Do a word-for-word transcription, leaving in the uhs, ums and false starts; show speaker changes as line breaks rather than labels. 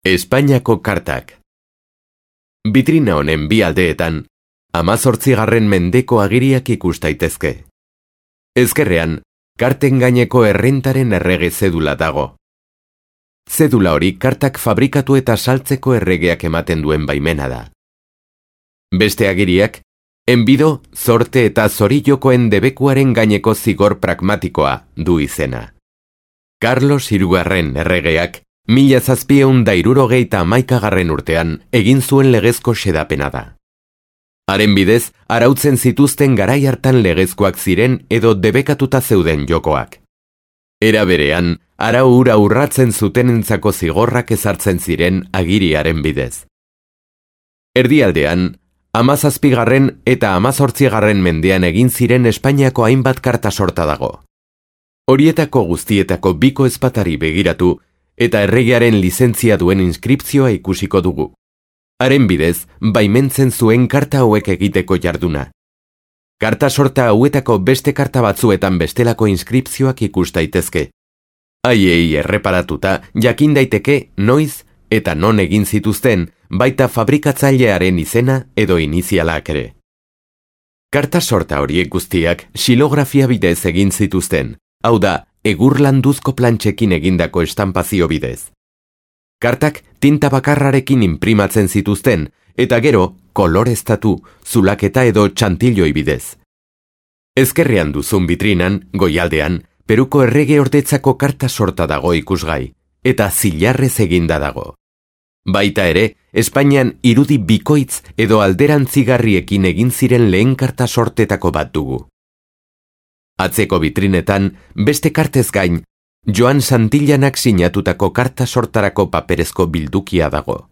Espainiako kartak. Bitrina honen bi aldeetan, hamazortzigarren mendeko agiriak ikus daitezke. Ezkerrean, karten gaineko errentaren errege zedula dago. Zedula hori kartak fabrikatu eta saltzeko erregeak ematen duen baimena da. Beste agiriak, enbido, zorte eta zorijokoen debekuaren gaineko zigor pragmatikoa du izena. Carlos hirugarren erregeak, mila zazpieun da hirurogeita hamaikagarren urtean egin zuen legezko xedapena da. Haren bidez, arautzen zituzten garai hartan legezkoak ziren edo debekatuta zeuden jokoak. Era berean, arau hura urratzen zutenentzako zigorrak ezartzen ziren agiriaren bidez. Erdialdean, hamazazpigarren eta hamazortzigarren mendean egin ziren Espainiako hainbat karta sorta dago. Horietako guztietako biko ezpatari begiratu eta erregearen lizentzia duen inskripzioa ikusiko dugu. Haren bidez, baimentzen zuen karta hauek egiteko jarduna. Karta sorta hauetako beste karta batzuetan bestelako inskripzioak ikus daitezke. Haiei erreparatuta jakin daiteke noiz eta non egin zituzten, baita fabrikatzailearen izena edo inizialak ere. Karta sorta horiek guztiak xilografia bidez egin zituzten, hau da, egur landuzko plantxekin egindako estampazio bidez. Kartak tinta bakarrarekin inprimatzen zituzten, eta gero koloreztatu, zulaketa edo txantilloi bidez. Ezkerrean duzun bitrinan, goialdean, Peruko errege ordetzako karta sorta dago ikusgai, eta zilarrez eginda dago. Baita ere, Espainian irudi bikoitz edo alderantzigarriekin egin ziren lehen karta sortetako bat dugu. Atzeko bitrinetan, beste kartez gain, Joan Santillanak sinatutako karta sortarako paperezko bildukia dago.